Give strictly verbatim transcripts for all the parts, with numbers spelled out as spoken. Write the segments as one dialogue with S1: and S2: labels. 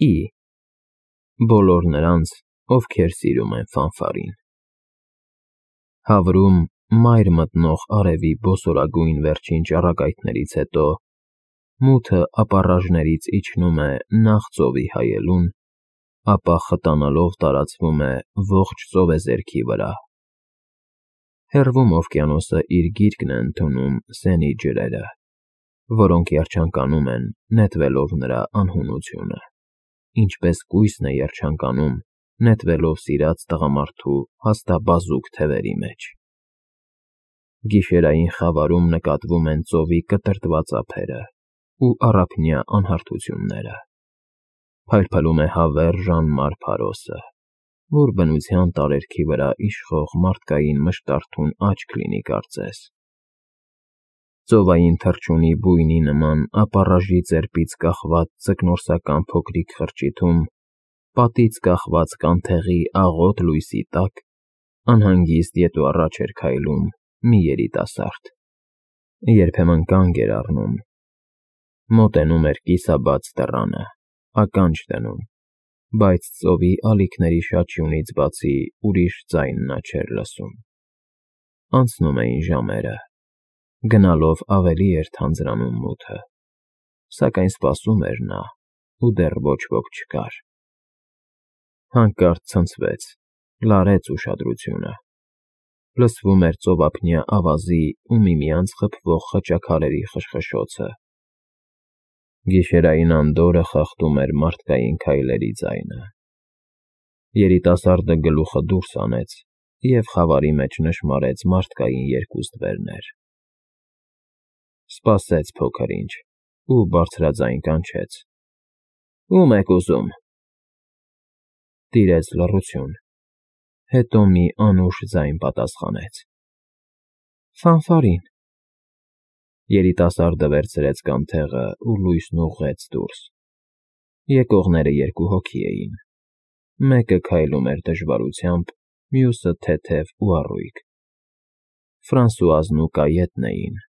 S1: Ի. Բոլոր նրանց, ովքեր սիրում են ֆանֆարին։ Հավրում մայր մտնող արևի բոսորագույն վերջին ճառագայթներից հետո մութը ապառաժներից իջնում է նախ ծովի հայելուն, ապա խտանալով տարածվում է ողջ ծովեզերքի վրա։ Հեռվում օվկիանոսը իր գիրկն է ընդունում սենի ջրերը, որոնք երջանկանում են նետվելով նրա անհունությունը, ինչպես կույսն է երջանկանում նետվելով սիրած տղամարդու հաստաբազուկ թևերի մեջ։ Գիշերային խավարում նկատվում են ծովի կտրտված ափերը ու առափնյա անհարթությունները։ Փայլփլում է հավերժ անմար փարոսը, որ բնության տարերքի վրա իշխող մարդկային մշտարթուն աչք լինի կարծես։ Ծովային թռչունի բույնի նման ապառաժի ծեպից կախված ձկնորսական փոքրիկ խրճիթում, պատից կախված կանթեղի աղոտ լույսի տակ, անհանգիստ ետ ու առաջ էր քայլում մի երիտասարդ, երբեմն կանգ էր առնում, մոտենում էր կիսաբաց դռանը, ականջ դնում, բայց ծովի ալիքների շաչյունից բացի ուրիշ ձայն նա չէր լսում։ Անցնում էին ժամերը, գնալով ավելի էր թանձրանում մութը, սակայն սպասում էր նա, ու դեռ ոչ ոք չկար։ Հանկարծ ցնցվեց, լարեց ուշադրությունը, լսվում էր ծովափնյա ավազի ու միմյանց խփվող խճաքարերի խշխշոցը։ Գիշերային անդորրը խախտում էր մարդկային քայլերի ձայնը։ Երիտասարդը գլուխը դուրս հանեց և խավարի մեջ նշմարեց մարդկային երկու ստվերներ։ Սպասեց փոքր ինչ ու բարձրաձայն կանչեց. «Ո՞ւմ եք ուզում»։ Տիրեց լռություն, հետո մի անուշ ձայն պատասխանեց. «Ֆանֆարին»։ Երիտասարդը վերցրեց կանթեղը ու լույսն ուղղեց դուրս։ Եկողները երկու հոգի էին, մեկը քայլում էր դժվարությամբ, մյուսը թեթև ու առույգ։ Ֆրանսուազն ու Կայետն էին։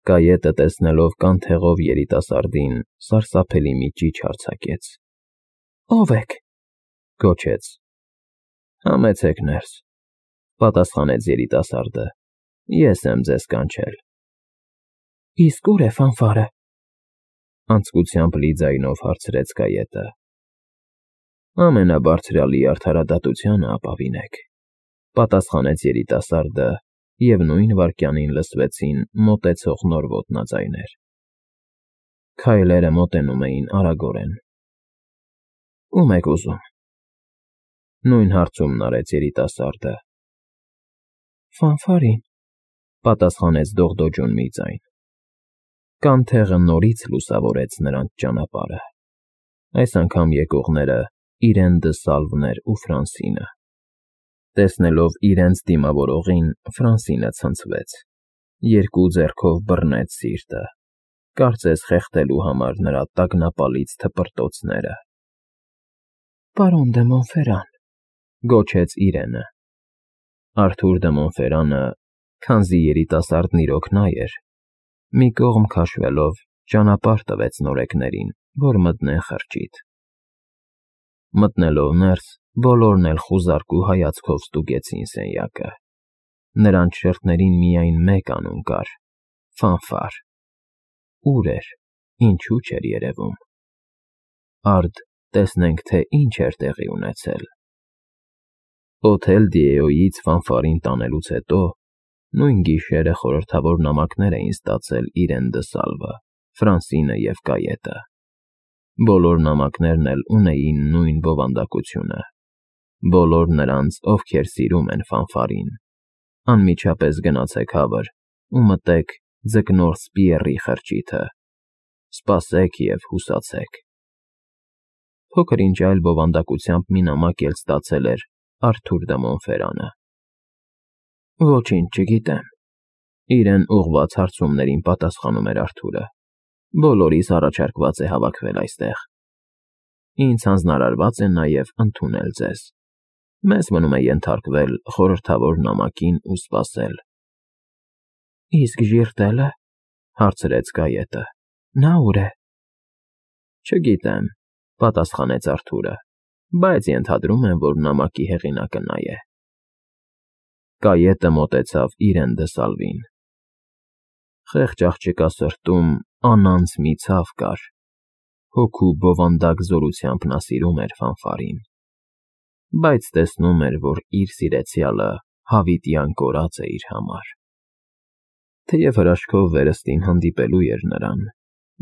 S1: Կայետը, տեսնելով կանթեղով երիտասարդին, սարսափելի մի ճիչ արձակեց։ «Ո՞վ եք»։ Գոչեց։ «Համեցեք ներս», պատասխանեց երիտասարդը, «ես եմ ձեզ կանչել»։ «Իսկ ո՞ւր է ֆանֆարը»։ Անձկությամբ լի ձայնով հարցրեց Կայետը։ «Ամենաբարձրյալի արդարադատությանը ապավինեք», պատասխանեց երիտասարդը, և նույն վայրկյանին լսվեցին մոտեցող նոր ոտնաձայներ։ Քայլերը մոտենում էին արագորեն։ «Ո՞ւմ եք ուզում»։ Նույն հարցումն արեց երիտասարդը։ «Ֆանֆարին», պատասխանեց դողդոջուն մի ձայն։ Կանթեղը նորից լուսավորեց նրանց ճանապարհը։ Այս անգամ եկողները իրեն դը Սալվն էր ու Ֆրանսինը։ Տեսնելով իրենց դիմավորողին, Ֆրանսինը ցնցվեց, երկու ձեռքով բռնեց սիրտը, կարծես խեղդելու համար նրա տագնապալից թպրտոցները։ «Պարոն դը Մոնֆերան», գոչեց իրենը։ Արթուր դը Մոնֆերանը, քանզի երիտասարդն իրոք նա էր, մի կողմ քաշվելով, ճանապարհ տվեց նորեկներին, որ մտնեն խրճիթ։ Մտնելով ներս, բոլորն էլ խուզարկու հայացքով ստուգեցին սենյակը։ Նրանց շերտներին միայն մեկ անուն կար՝ Ֆանֆար։ Ուր էր, ինչու չէր երևում։ Արդ տեսնենք, թե ինչ էր տեղի ունեցել։ Օթել Դիեոյից Ֆանֆարին տանելուց հետո նույն գիշերը խորհրդավոր նամակներ էին ստացել իրեն դը Սալվը, Ֆրանսինը և Կայետը։ Բոլոր նամակներն էլ ունեին նույն բովանդակությունը։ Բոլոր նրանց, ովքեր սիրում են ֆանֆարին, անմիջապես գնացեք հավր ու մտեք ձկնորս Պիեռի խրճիթը, սպասեք և հուսացեք։ Փոքր ինչ այլ բովանդակությամբ մի նամակ էլ ստացել էր Արթուր դը Մոնֆերանը։ «Ոչինչ չգիտեմ», իրեն ուղղված հարցումներին պատասխանում էր Արթուրը։ «Բոլորիս առաջարկված է հավաքվել այստեղ։ Ինձ հանձնարարված է նաև ընդունել ձեզ։ Մեզ մնում է ենթարկվել խորհրդավոր նամակին ու սպասել»։ «Իսկ Ժիրտելը»։ Հարցրեց Կայետը։ «Նա ուր է»։ «Չգիտեմ, պատասխանեց Արթուրը, բայց ենթադրում եմ, որ նամակի հեղինակը նա է։ Կայետը մոտեցավ իրեն դսալվին։ Խեղճ աղջկա սրտում անանց մի ցավ կար, հոգու բովանդակ զորությամբ նա սիրում էր Ֆանֆարին, բայց տեսնում էր, որ իր սիրեցյալը հավիտյան կորած է իր համար։ Թեև հրաշքով վերստին հանդիպելու էր նրան,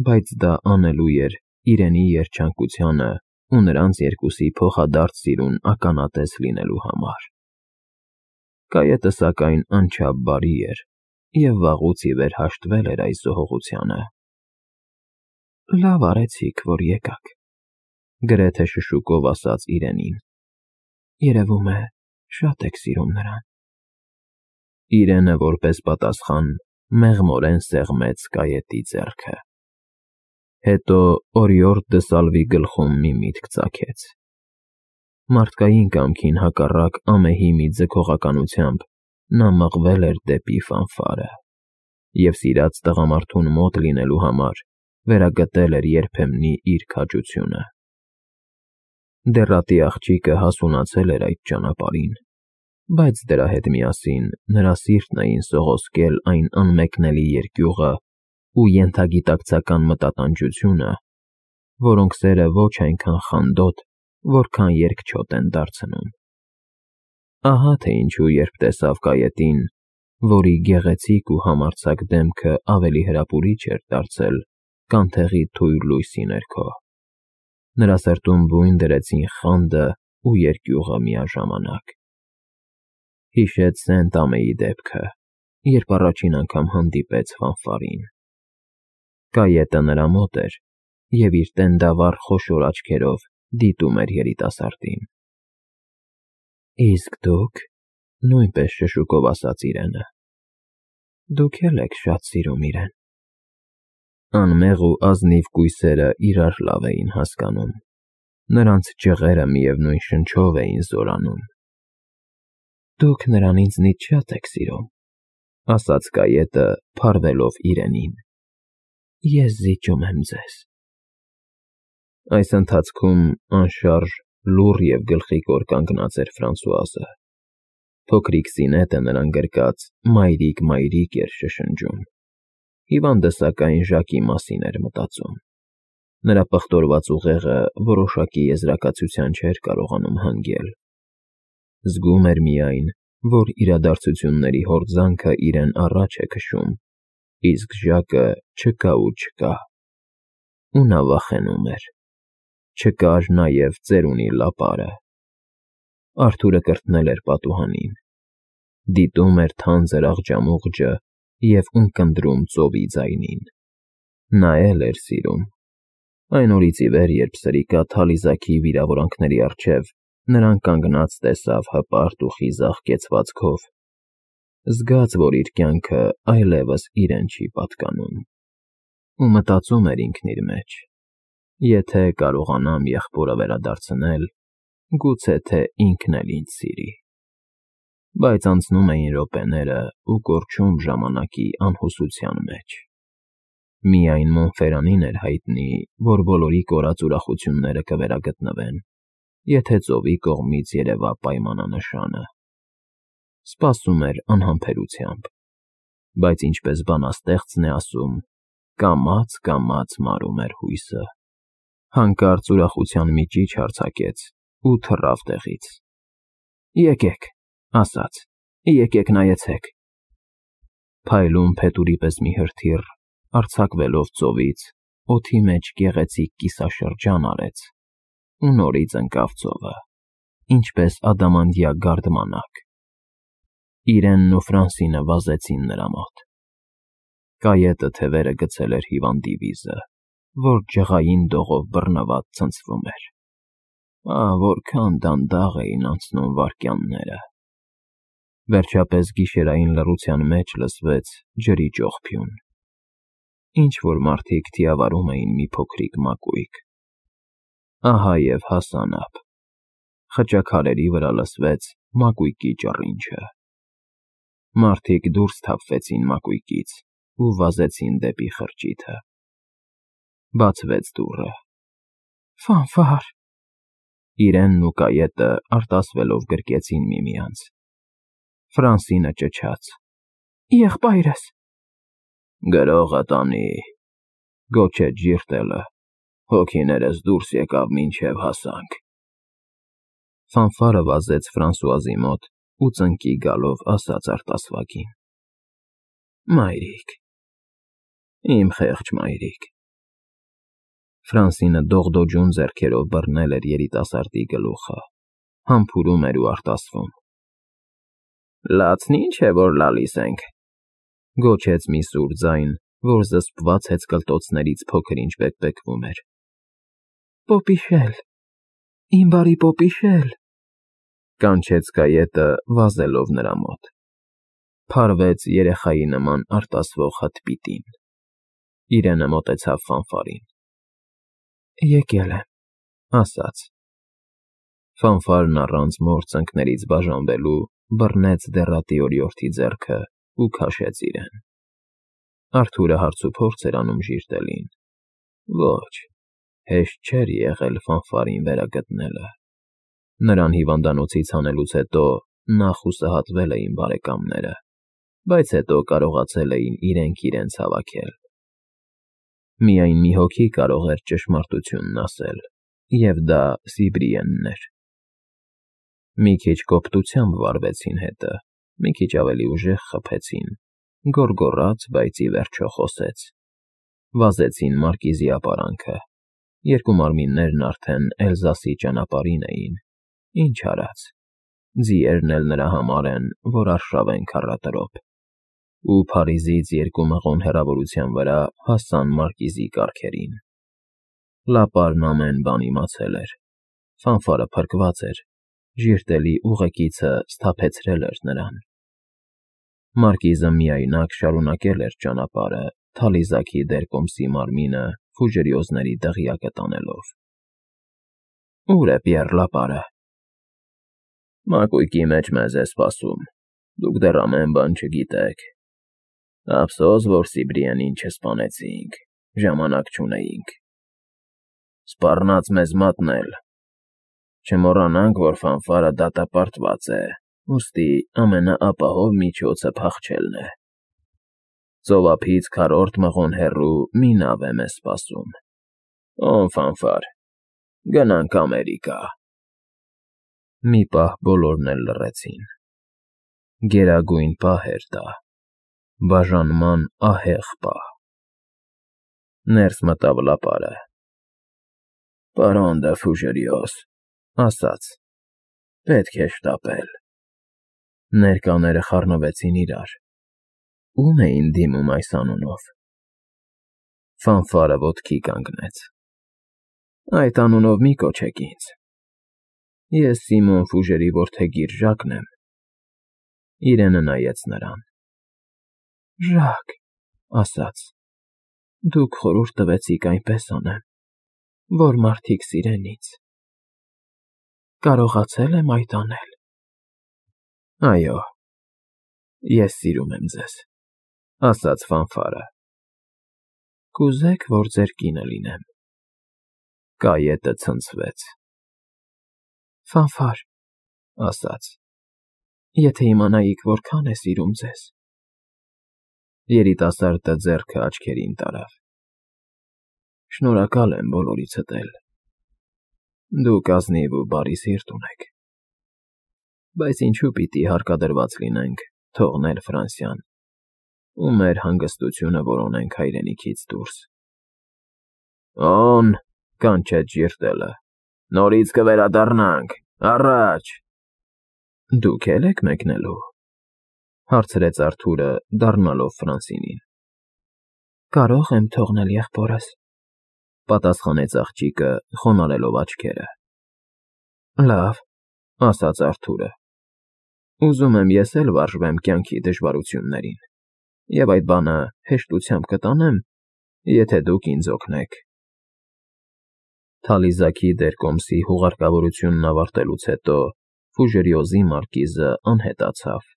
S1: բայց դա անելու էր իրենի երջանկությանը ու նրանց երկուսի փոխադարձ սիրուն ականատես լինելու համար։ Կայետը սակայն անչափ բարի էր և վաղուց ի վեր հաշտվել էր այս զոհողությանը։ Լավ արեցիք, որ եկաք, գրեթե շշուկով ասաց իրենին, երևում է շատ եք սիրում նրան։ Իրենը որպես պատասխան մեղմորեն սեղմեց Կայետի ձեռքը։ Հետո օրիորդ դսալվի գլխում մի միտք ծագեց։ Մարդկային կամքին հակառակ ամեհի մի ձգողականությամբ նա մղվել էր դեպի Ֆանֆարը և սիրած տղամարդուն մոտ լինելու համար վերագտել էր երբեմնի իր քաջությունը։ Դեռատի աղջիկը հասունացել էր այդ ճանապարհին, բայց դրա հետ միասին նրա սիրտն էին սողոսկել այն անմեկնելի երկյուղը ու ենթագիտակցական մտատանջությունը, որոնք սերը ոչ այնքան խանդոտ, որքան երկչոտ են դարձնում։ Ահա թե ինչու երբ տեսավ Կայետին, որի գեղեցիկ ու համարձակ դեմքը ավելի հրապուրիչ էր դարձել կանթեղի թույլ լույսի ներքո, նրա սրտում բույն դրեցին խանդը ու երկյուղը միաժամանակ։ Հիշեց Սենտ-Ամեի դեպքը, երբ առաջին անգամ հանդիպեց Ֆանֆարին։ Կայետը նրա մոտ էր և իր տենդավառ խոշոր աչքերով դիտում էր երիտասարդին։ Իսկ դուք, նույնպես շշուկով ասաց իրենը, դուք էլ եք շատ սիրում իրեն։ Անմեղ ու ազնիվ կույսերը իրար լավ էին հասկանում, նրանց ճղերը միևնույն շնչով էին զորանում։ Դուք նրան ինձնից շատ եք սիրում, ասաց Կայետը, փարվելով իրենին։ Ես զիջում եմ ձեզ։ Այս ընթացքում անշարժ, լուռ և գլխիկոր կանգնած էր Ֆրանսուազը։ Փոքրիկ Զինետը նրան գրկած «մայրիկ, մայրիկ» էր շշնջում։ Հիվանդը սակայն Ժակի մասին էր մտածում։ Նրա պղտորված ուղեղը որոշակի եզրակացության չէր կարողանում հանգել։ Զգում էր միայն, որ իրադարձությունների հորձանքը իրեն առաջ է քշում, իսկ Ժակը չկա ու չկա։ Ու նա վախենում էր։ Չկար նաև ծերունի լապարը։ Արթուրը կրկնել էր պատուհանին։ Դիտում էր թանձր աղջամուղջը և ունկնդրում ծովի ձայնին։ Նայել էր սիրում։ Այն օրից ի վեր, երբ սրիկատ Հալիզաքի վիրավորանքների առջև նրան կանգնած տեսավ հպարտ ու խիզախ կեցվածքով, զգաց, որ իր կյանքը այլևս իրեն չի պատկանում։ Ու մտածում էր ինքն իր մեջ. եթե կարողանամ եղբորը վերադարձնել, գուցե թե ինքն էլ ինձ սիրի։ Բայց անցնում էին րոպեները ու կորչում ժամանակի անհուսության մեջ։ Միայն Մոնֆերանին էր հայտնի, որ բոլորի կորած ուրախությունները կվերագտնվեն, եթե ծովի կողմից երևա պայմանանշանը։ Սպասում էր անհամբերությամբ, բայց ինչպես բանաստեղծն է ասում, կամաց֊կամաց մարում էր հույսը։ Հանկարծ ուրախության մի ճիչ արձակեց ու թռավ տեղից։ Եկեք, ասաց, եկեք նայեցեք։ Փայլուն փետուրի պես մի հրթիռ, արձակվելով ծովից, օդի մեջ գեղեցիկ կիսաշրջան արեց ու նորից ընկավ ծովը, ինչպես ադամանդյա գարդմանակ։ Իրենն ու Ֆրանսինը վազեցին նրա մոտ։ Կայետը թևերը գցել էր հիվանդի վիզը, որ ջղային դողով բռնված ցնցվում էր։ Ահ, որքան դանդաղ էին անցնում վայրկյանները։ Վերջապես գիշերային լռության մեջ լսվեց ջրի ճողփյուն։ Ինչ-որ մարդիկ թիավարում էին մի փոքրիկ մակույկ։ Ահա և հասան ափ։ Խճաքարերի վրա լսվեց մակույկի ճռինչը։ Մարդիկ դուրս թափվեցին մակույկից ու վազեցին դեպի խրճիթը։ Բացվեց դուռը։
S2: Ֆանֆար։
S1: Իրենն ու կայետը արտասվելով գրկեցին միմյանց։ Ֆրանսինը ճչաց.
S2: Եղբայրս։
S1: Գրողը տանի, գոչեց Ժիրտելը, հոգիներս դուրս եկավ մինչև հասանք։ Ֆանֆարը վազեց Ֆրանսուազի մոտ ու ծնկի գալով ասաց արտասվագին.
S2: Մայրիկ,
S1: իմ խեղճ մայրիկ։ Ֆրանսինը դողդոջուն ձեռքերով բռնել էր երիտասարդի գլուխը, համբուրում էր ու արտասվում։ Լացն ինչ է, որ լալիս ենք, գոչեց մի սուր ձայն, որ զսպված հեծկլտոցներից փոքր-ինչ բեկբեկվում էր։
S2: Պոպիշել, իմ բարի պոպիշել,
S1: կանչեց կայետը վազելով նրա մոտ։ Փարվեց երեխայի նման արտասվող հտպիտին։ Իրենը մոտեցավ Ֆանֆարին։
S2: Եկել եմ,
S1: ասաց։ Ֆանֆարն առանց մոր ծնկներից բաժանվելու բռնեց դեռատի օրիորդի ձեռքը ու քաշեց իրեն։ Արթուրը հարցուփորձ էր անում Ժիրտելին։ Ոչ, հեշտ չէր եղել Ֆանֆարին վերագտնելը։ Նրան հիվանդանոցից հանելուց հետո նա խուսահատվել էին բարեկամները, բայց հետո կարողացել էին իրենք իրենց հավաքել։ Միայն մի հոգի կարող էր ճշմարտությունն ասել, և դա Սիբրիենն էր։ Մի քիչ կոպտությամբ վարվեցին հետը, մի քիչ ավելի ուժեղ խփեցին, գոռգոռաց, բայց ի վերջո խոսեց։ Վազեցին մարկիզի ապարանքը, երկու մարմիններն արդեն Էլզասի ճանապարհին էին, ինչ արած, ձիերն էլ նրա համար են, որ արշավեն քառատրոփ, ու Փարիզից երկու մղոն հեռավորության վրա հասան մարկիզի կառքերին։ Լապարն ամեն բան իմացել էր, Ֆանֆարը փրկված էր, Ժիրտելի ուղեկիցը սթափեցրել էր նրան։ Մարկիզը միայնակ շարունակել էր ճանապարհը Թալիզաքի դերկոմսի մարմինը Ֆուժերիոզների դղյակը տանելով։ Ո՞ւր է Պիեռ Լապարը։ Մակույկի մեջ մեզ է սպասում, դուք դեռ ամեն բան չգիտեք։ Ափսոս, որ Սիբրիենին չսպանեցինք, ժամանակ չունեինք։ Սպառնաց մեզ մատնել։ Չմոռանանք, որ Ֆանֆարը դատապարտված է, ուստի ամենաապահով միջոցը փախչելն է։ Ծովափից քառորդ մղոն հեռու մի նավ է մեզ սպասում։ Օն Ֆանֆար, գնանք Ամերիկա։ Մի պահ բոլորն էլ լռեցին։ Գերագույն պահ էր դա, բաժանման ահեղ պահ։ Ներս մտավ Լապարը։ Պարոն դը Ֆուժերիոզ, ասաց. պետք է շտապել։ Ներկաները խառնվեցին իրար։ Ո՞ւմ էին դիմում այս անունով։ Ֆանֆարը ոտքի կանգնեց։ Այդ անունով մի կոչեք ինձ։ Ես Սիմոն Ֆուժերի որդեգիր Ժակն եմ։ Իրենը նայեց նրան։
S2: Ժակ, ասաց. Դուք խորհուրդ տվեցիք այնպես անեմ, որ մարդիկ սիրեն ինձ։ Կարողացել եմ այդ անել։
S1: Այո, ես սիրում եմ ձեզ, ասաց Ֆանֆարը։
S2: Կուզեք, որ ձեր կինը լինեմ։
S1: Կայետը ցնցվեց։
S2: Ֆանֆար,
S1: ասաց.
S2: եթե իմանայիք, որքան է սիրում ձեզ։
S1: Երիտասարդը ձեռքը աչքերին տարավ։ Շնորհակալ եմ բոլորիցդ էլ։ Դուք ազնիվ ու բարի սիրտ ունեք։ Բայց ինչու պիտի հարկադրված լինենք թողնել Ֆրանսիան ու մեր հանգստությունը որոնենք հայրենիքից դուրս։ Օն, կանչեց Ժիրտելը, նորից կվերադառնանք, առաջ։ Դուք էլ եք մեկնելու, հարցրեց Արթուրը, դառնալով Ֆրանսինին։
S2: Կարող եմ թողնել եղբորս,
S1: պատասխանեց աղջիկը, խոնարհելով աչքերը։ Լավ, ասաց Արթուրը։ Ուզում եմ ես էլ վարժվեմ կյանքի դժվարություններին, և այդ բանը հեշտությամբ կտանեմ, եթե դուք ինձ օգնեք։ Թալիզաքի դերկոմսի հուղարկավորությունն ավարտելուց հետո Ֆուժերիոզի մարկիզը անհետացավ,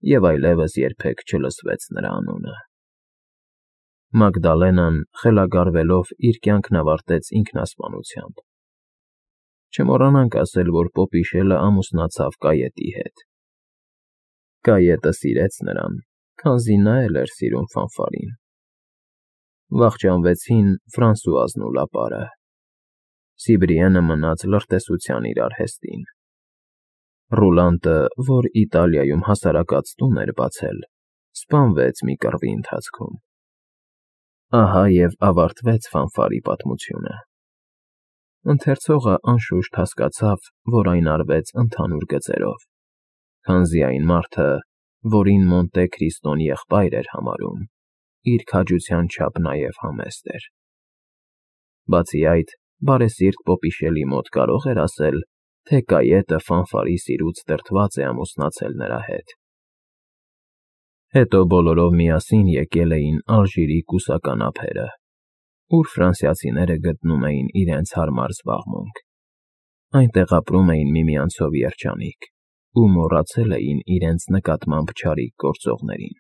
S1: և այլևս երբեք չլսվեց նրա անունը։ Մագդալենան խելագարվելով իր կյանքն ավարտեց ինքնասպանությամբ։ Չմոռանանք ասել, որ Պոպիշելը ամուսնացավ Կայետի հետ։ Կայետը սիրեց նրան, քանզի նա էլ էր սիրում Ֆանֆարին։ Վախճանվեցին Ֆրանսուազն ու Լապարը։ Սիբրիենը մնաց լրտեսության իր արհեստին։ Ռուլանտը, որ Իտալիայում հասարակած տուն էր բացել, սպանվեց մի կռվի ընթացքում։ Ահա և ավարտվեց Ֆանֆարի պատմությունը։ Ընթերցողը անշուշտ հասկացավ, որ այն արվեց ընդհանուր գծերով, քանզի այն մարդը, որին Մոնտե Քրիստոն եղբայր էր համարում, իր քաջության չափ նաև համեստ էր։ Բացի այդ, բարեսիրտ Պոպիշելի մոտ կարող էր ասել, թե Կայետը Ֆանֆարի սիրուց դրդված է ամուսնացել նրա հետ։ Հետո բոլորով միասին եկել էին Ալժիրի կուսական ափերը, ուր ֆրանսիացիները գտնում էին իրենց հարմար զբաղմունք։ Այնտեղ ապրում էին միմյանցով երջանիկ ու մոռացել էին իրենց նկատմամբ չարիք գործողներին։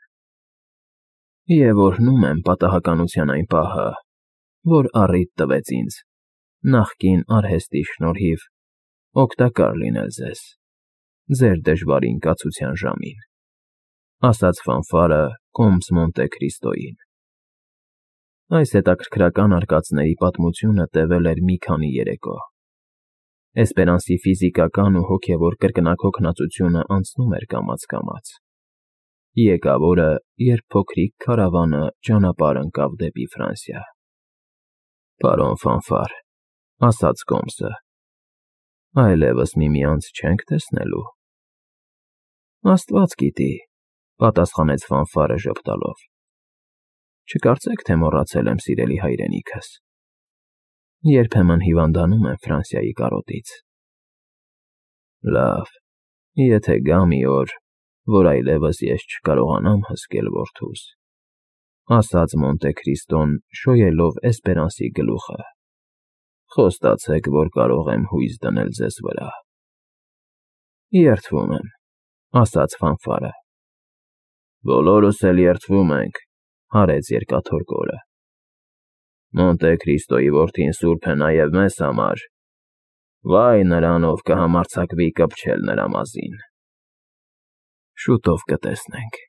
S1: Եվ օրհնում եմ պատահականության այն պահը, որ առիթ տվեց ինձ, նախկին արհեստի շնորհիվ, օգտակար լինել ձեզ, ձեր դժվարին կացության ժամին, ասաց Ֆանֆարը կոմս Մոնտե Քրիստոյին։ Այս հետաքրքրական արկածների պատմությունը տևել էր մի քանի երեկո։ Էսպերանսի ֆիզիկական ու հոգևոր կրկնակոկնածությունը անցնում էր կամաց-կամաց։ Եկավ օրը, երբ փոքրիկ քարավանը ճանապարհ ընկավ դեպի Ֆրանսիա։ Պարոն Ֆանֆար, ասաց կոմսը, այլևս միմյանց չենք տեսնելու։ Աստված գիտի, պատասխանեց Ֆանֆարը ժպտալով։ Չկարծեք, թե մոռացել եմ սիրելի հայրենիքս։ Երբեմն հիվանդանում եմ Ֆրանսիայի կարոտից։ Լավ, եթե գա մի օր, որ այլևս ես չկարողանամ հսկել որդուս, ասաց Մոնտե Քրիստոն, շոյելով Էսպերանսի գլուխը, խոստացեք, որ կարող եմ հույս դնել ձեզ վրա։ Երդվում եմ, ասաց Ֆանֆարը։ Բոլորս էլ երդվում ենք, հարեց երկաթորկորը։ Մոնտե Քրիստոյի որդին սուրբ է նաև մեզ համար։ Վայ նրան, ով կհամարձակվի կպչել նրա մազին։ Շուտով կտեսնենք։